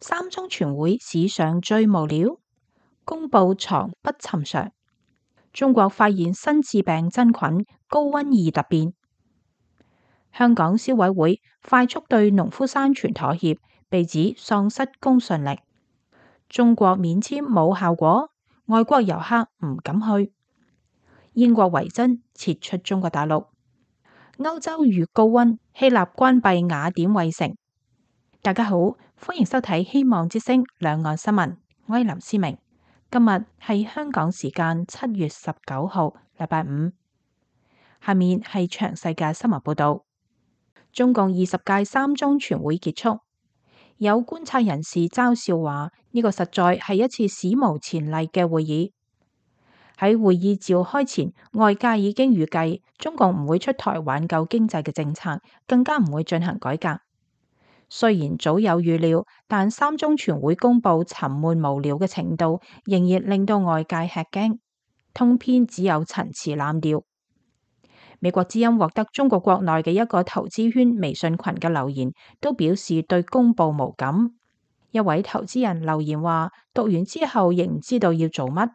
三中全會史上最無聊，公布藏不尋常。中國發現新致病真菌，高溫易突變。香港消委會快速對農夫山泉妥協，被指喪失公信力。中國免簽冇效果，外國遊客唔敢去。英國維珍撤出中國大陸。歐洲遇高溫，希臘關閉雅典衛城。大家好，歡迎收睇希望之聲兩岸新聞，我係林思明。今日係香港時間7月19號，禮拜五。下面係詳細嘅新聞報道。中共20屆三中全會結束，有觀察人士嘲笑話呢個實在係一次史無前例嘅會議。喺會議召開前，外界已經預計中共唔會出台挽救經濟嘅政策，更加唔會進行改革。雖然早有預料，但三中全會公佈沉悶無聊嘅程度，仍然令到外界吃驚。通篇只有陳詞濫調。美國之音獲得中國國內嘅一個投資圈微信群嘅留言，都表示對公佈無感。一位投資人留言話：讀完之後亦唔知道要做乜。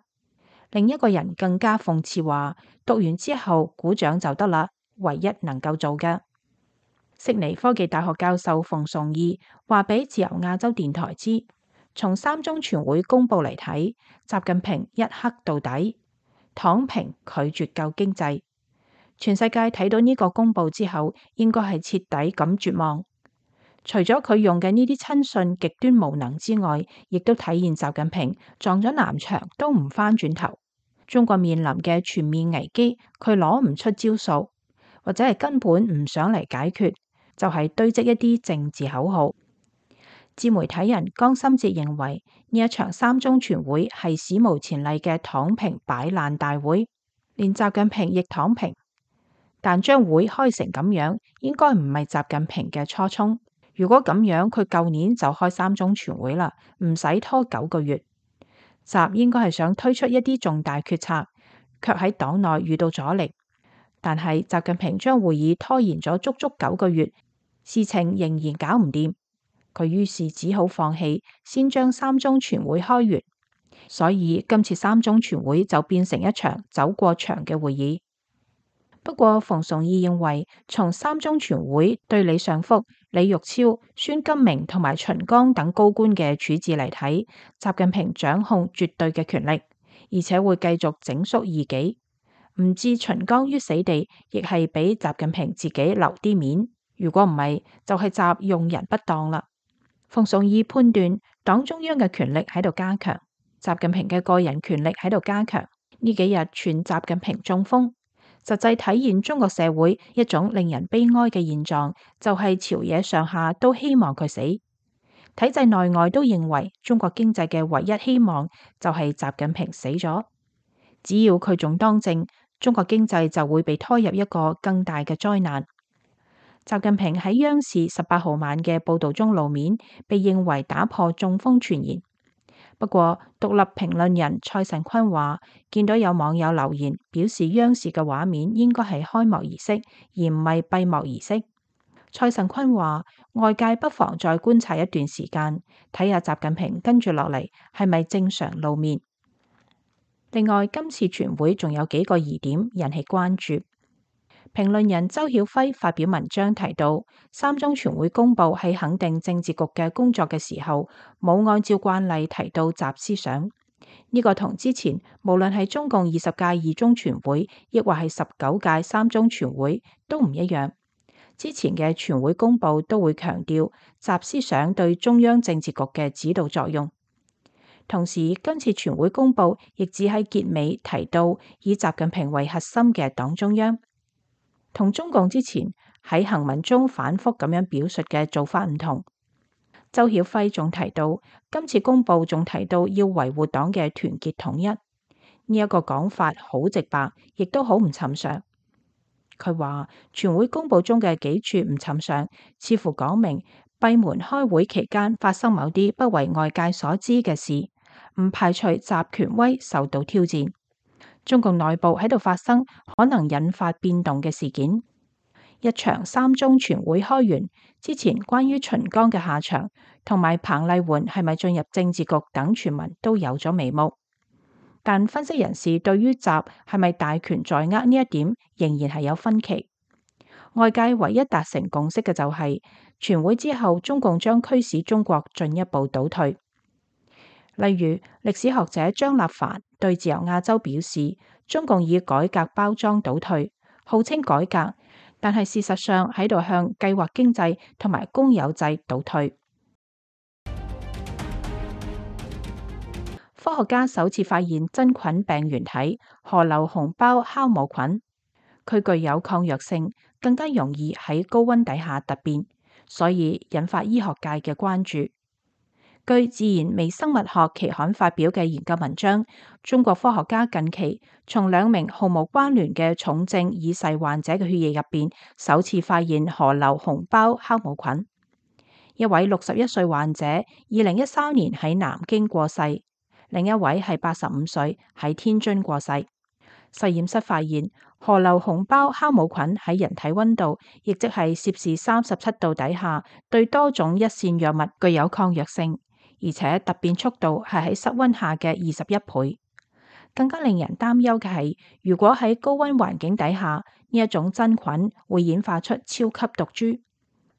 另一個人更加諷刺話：讀完之後鼓掌就得啦，唯一能夠做嘅。悉尼科技大學教授馮崇義話俾自由亞洲電台知，從三中全會公佈嚟睇，習近平一黑到底，躺平拒絕救經濟。全世界睇到呢個公佈之後，應該係徹底咁絕望。除咗佢用嘅呢啲親信極端無能之外，亦都體現習近平撞咗南牆都唔返轉頭。中國面臨嘅全面危機，佢攞唔出招數，或者係根本唔想嚟解決，就係堆積一啲政治口號。自媒體人江心哲認為呢一場三中全會係史無前例嘅躺平擺爛大會，連習近平亦躺平。但將會開成咁樣，應該唔係習近平嘅初衷。如果咁樣，佢舊年就開三中全會啦，唔使拖9個月。習應該係想推出一啲重大決策，卻喺黨內遇到阻力。但係習近平將會議拖延咗足足9個月，事情仍然搞唔掂。佢於是只好放棄，先將三中全會開完。所以今次三中全會就變成一場走過場嘅會議。不過馮崇義認為，從三中全會對李尚福、李玉超、孫金明同埋秦剛等高官嘅處置嚟睇，習近平掌控絕對嘅權力，而且會繼續整肅異己，唔置秦剛於死地，亦係俾習近平自己留啲面。如果唔係，就係習用人不當啦。馮崇義判斷，黨中央嘅權力喺度加強，習近平嘅個人權力喺度加強。呢幾日傳習近平中風。實際體現中國社會一種令人悲哀嘅現狀，就係朝野上下都希望佢死，體制內外都認為中國經濟嘅唯一希望就係習近平死咗。只要佢仲當政，中國經濟就會被拖入一個更大嘅災難。習近平喺央視18號晚嘅報道中露面，被認為打破中風傳言。不過，獨立評論人蔡慎坤話，見到有網友留言表示央視嘅畫面應該係開幕儀式，而唔係閉幕儀式。蔡慎坤話，外界不妨再觀察一段時間，睇下習近平跟住落嚟係咪正常露面。另外，今次全會仲有幾個疑點引起關注。評論人周曉輝發表文章提到，三中全會公佈喺肯定政治局嘅工作嘅時候，冇按照慣例提到習思想。呢個同之前無論係中共20屆二中全會，亦或係19屆三中全會都唔一樣。之前嘅全會公佈都會強調習思想對中央政治局嘅指導作用。同時，今次全會公佈亦只喺結尾提到以習近平為核心嘅黨中央。同中共之前喺行文中反覆咁樣表述嘅做法唔同。周曉輝仲提到，今次公佈仲提到要維護黨嘅團結統一，呢一個講法好直白，亦都好唔尋常。佢話全會公佈中嘅幾處唔尋常，似乎講明閉門開會期間發生某啲不為外界所知嘅事，唔排除習權威受到挑戰。中共內部喺度發生可能引發變動嘅事件，一場三中全會開完之前，關於秦剛嘅下場同埋彭麗媛係咪進入政治局等傳聞都有咗眉目。但分析人士對於習係咪大權在握呢一點仍然係有分歧。外界唯一達成共識嘅就係全會之後，中共將驅使中國進一步倒退。例如歷史學者張立凡對自由亞洲表示，中共以改革包裝倒退，號稱改革，但係事實上喺度向計劃經濟同埋公有制倒退。科學家首次發現真菌病原體河流紅胞酵母菌，佢具有抗藥性，更加容易喺高溫底下突變，所以引發醫學界嘅關注。據《自然微生物學》期刊發表嘅研究文章，中國科學家近期從2名毫無關聯嘅重症已逝患者嘅血液入邊，首次發現河流紅胞酵母菌。一位61歲患者2013年喺南京過世，另一位係85歲喺天津過世。實驗室發現河流紅胞酵母菌喺人體溫度，亦即係攝氏37度底下，對多種一線藥物具有抗藥性。而且突變速度係喺室溫下嘅21倍。更加令人擔憂嘅係，如果喺高溫環境底下，呢一種真菌會演化出超級毒株，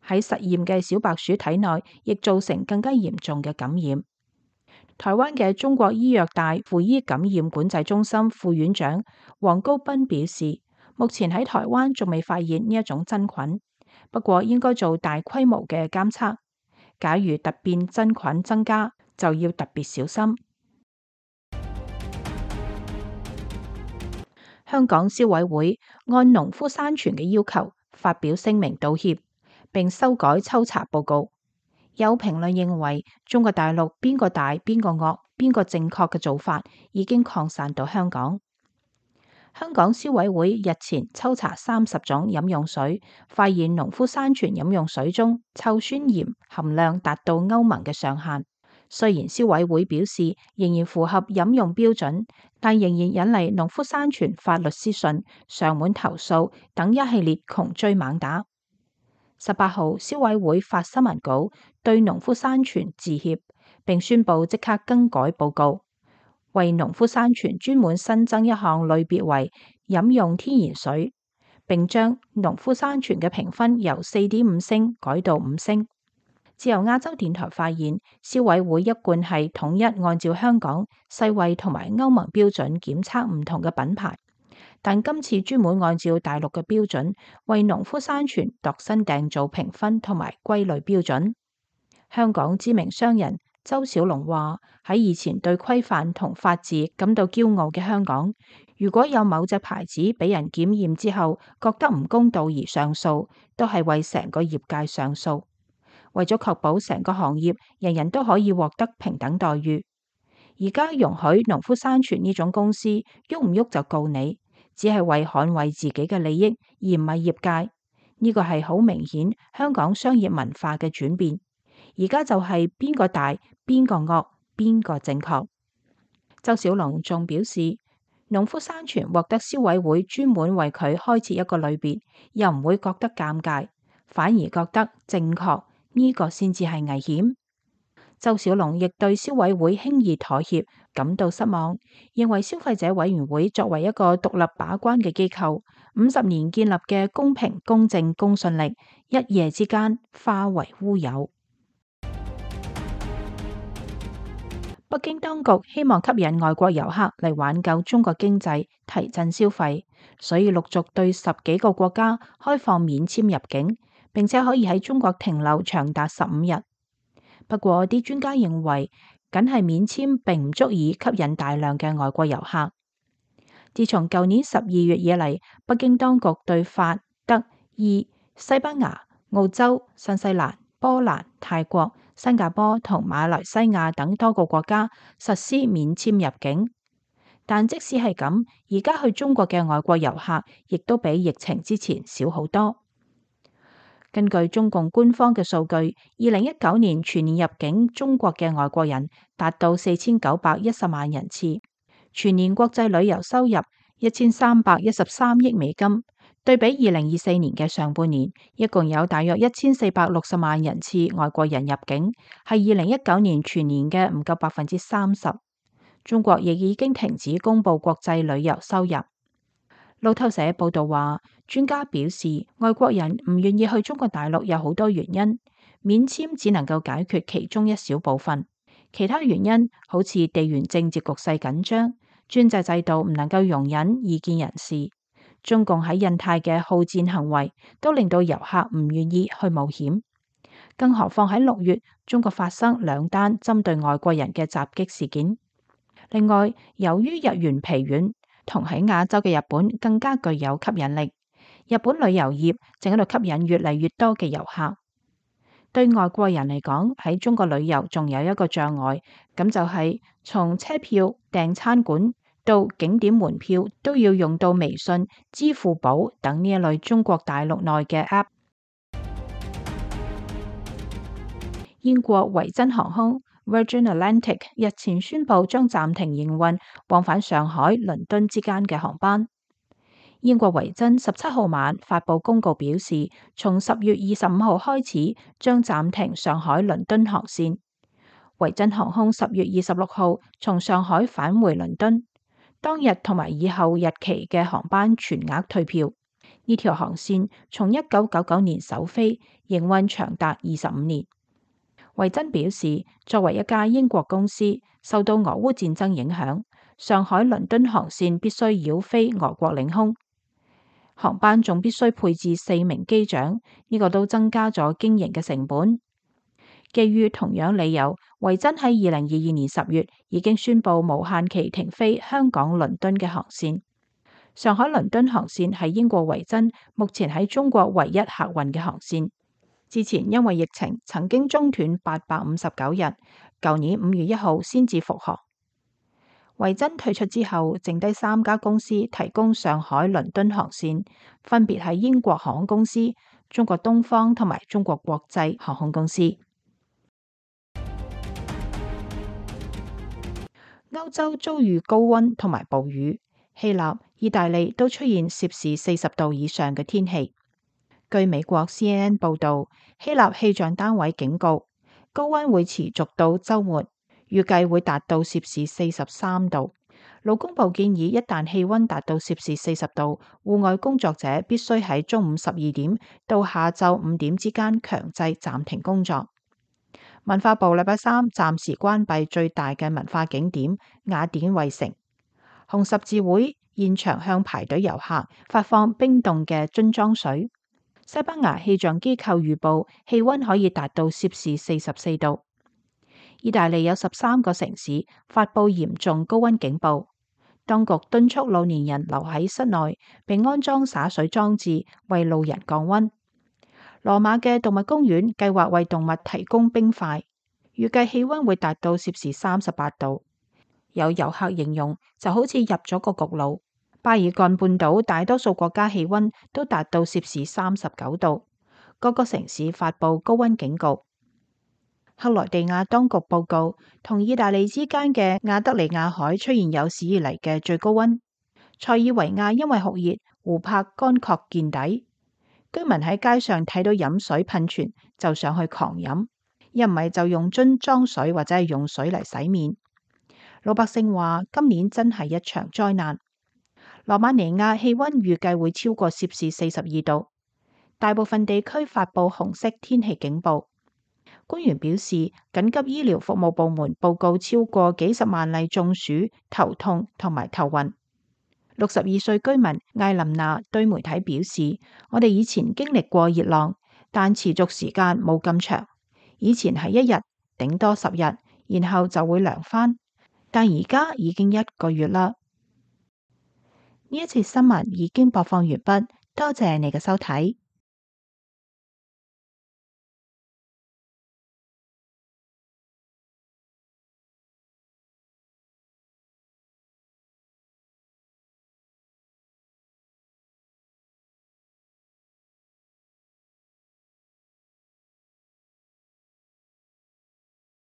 喺實驗嘅小白鼠體內，亦造成更加嚴重嘅感染。台灣嘅中國醫藥大附醫感染管制中心副院長黃高斌表示，目前喺台灣仲未發現呢一種真菌，不過應該做大規模嘅監測。假如突變真菌增加，就要特別小心。香港消委會按農夫山泉嘅要求發表聲明道歉，並修改抽查報告。有評論認為，中國大陸邊個大邊個惡邊個正確嘅做法已經擴散到香港。香港消委會日前抽查30種飲用水，發現農夫山泉飲用水中臭酸鹽含量達到歐盟嘅上限。雖然消委會表示仍然符合飲用標準，但仍然引嚟農夫山泉發律師信、上門投訴等一系列窮追猛打。18號，消委會發新聞稿對農夫山泉致歉，並宣布即刻更改報告，為農夫山泉專門新增一項類別為飲用天然水，並將農夫山泉嘅評分由4.5星改到5星。自由亞洲電台發現，消委會一貫係統一按照香港、世衛同埋歐盟標準檢測唔同嘅品牌，但今次專門按照大陸嘅標準，為農夫山泉度身訂造評分同埋歸類標準。香港知名商人周小龍話：喺以前對規範同法治感到驕傲嘅香港，如果有某隻牌子俾人檢驗之後覺得唔公道而上訴，都係為成個業界上訴。為咗確保成個行業人人都可以獲得平等待遇，而家容許農夫山泉呢種公司喐唔喐就告你，只係為捍衛自己嘅利益，而唔係業界。呢個係好明顯香港商業文化嘅轉變。而家就係邊個大邊個惡邊個正確。周小龍仲表示，農夫山泉獲得消委會專門為佢開設一個類別，又唔會覺得尷尬，反而覺得正確。呢個先至係危險。周小龍亦對消委會輕易妥協感到失望，認為消費者委員會作為一個獨立把關嘅機構，50年建立嘅公平、公正、公信力，一夜之間化為烏有。北京當局希望吸引外國遊客嚟挽救中國經濟，提振消費，所以陸續對10幾個國家開放免簽入境，並且可以喺中國停留長達15日。不過啲專家認為，僅係免簽並唔足以吸引大量嘅外國遊客。自從舊年12月以嚟，北京當局對法、德、意、西班牙、澳洲、新西蘭、波蘭、泰國、新加坡同馬來西亞等多個國家實施免簽入境。但即使係咁，而家去中國嘅外國遊客亦都比疫情之前少好多。根據中共官方嘅數據，2019年全年入境中國嘅外國人達到4910萬人次，全年國際旅遊收入1313億美金，對比2024年嘅上半年，一共有大約1460萬人次外國人入境，係2019年全年嘅唔夠30%。中國亦已經停止公布國際旅遊收入。路透社報道話，專家表示，外國人唔願意去中國大陸有好多原因，免簽只能夠解決其中一小部分，其他原因好似地緣政治局勢緊張、專制制度唔能夠容忍異見人士。中共喺印太嘅好戰行為都令到遊客唔願意去冒險，更何況喺6月，中國發生2單針對外國人嘅襲擊事件。另外，由於日元疲軟，同喺亞洲嘅日本更加具有吸引力，日本旅遊業正喺度吸引越嚟越多嘅遊客。對外國人嚟講，喺中國旅遊仲有一個障礙，咁就係從車票、訂餐館到景點門票都要用到微信、支付寶等呢一類中國大陸內嘅 App。英國維珍航空 Virgin Atlantic 日前宣布將暫停營運往返上海、倫敦之間嘅航班。英國維珍17號晚發布公告表示，從10月25號開始將暫停上海、倫敦航線。維珍航空10月26號從上海返回倫敦，當日同埋以後日期嘅航班全額退票。呢條航線從1999年首飛，營運長達25年。維珍表示，作為一家英國公司，受到俄烏戰爭影響，上海倫敦航線必須繞飛俄國領空，航班仲必須配置4名機長，呢個都增加咗經營嘅成本。基於同樣理由，維珍喺2022年10月已經宣布無限期停飛香港倫敦嘅航線。上海倫敦航線係英國維珍目前喺中國唯一客運嘅航線。之前因為疫情曾經中斷859日，舊年5月1號先至復航。維珍退出之後，剩低3家公司提供上海倫敦航線，分別係英國航空公司、中國東方同埋中國國際航空公司。歐洲遭遇高溫同埋暴雨，希臘、意大利都出現攝氏40度以上嘅天氣。據美國 CNN 報道，希臘氣象單位警告，高溫會持續到週末，預計會達到攝氏43度。勞工部建議，一旦氣溫達到攝氏40度，戶外工作者必須喺中午12點到下晝5點之間強制暫停工作。文化部禮拜3暫時關閉最大嘅文化景點雅典衛城。紅十字會現場向排隊遊客發放冰凍嘅樽裝水。西班牙氣象機構預報氣溫可以達到攝氏44度。意大利有13個城市發佈嚴重高溫警報，當局敦促老年人留喺室內，並安裝灑水裝置為路人降溫。羅馬嘅動物公園計劃為動物提供冰塊，預計氣溫會達到攝氏38度。有遊客形容就好似入咗個焗爐。巴爾幹半島大多數國家氣溫都達到攝氏39度，各個城市發佈高溫警告。克羅地亞當局報告，同意大利之間嘅亞得里亞海出現有史以嚟嘅最高溫。塞爾維亞因為酷熱，湖泊乾涸見底，居民喺街上睇到飲水噴泉就上去狂飲，一唔係就用樽裝水或者係用水嚟洗面。老百姓話今年真係一場災難。羅馬尼亞氣溫預計會超過攝氏42度，大部分地區發佈紅色天氣警報。官員表示，緊急醫療服務部門報告超過幾十萬例中暑、頭痛同埋頭暈。62歲居民艾琳娜對媒體表示，我哋以前經歷過熱浪，但持續時間冇咁長。以前係1日，頂多10日，然後就會涼返，但而家已經1個月啦。呢一節新聞已經播放完畢，多謝你嘅收睇。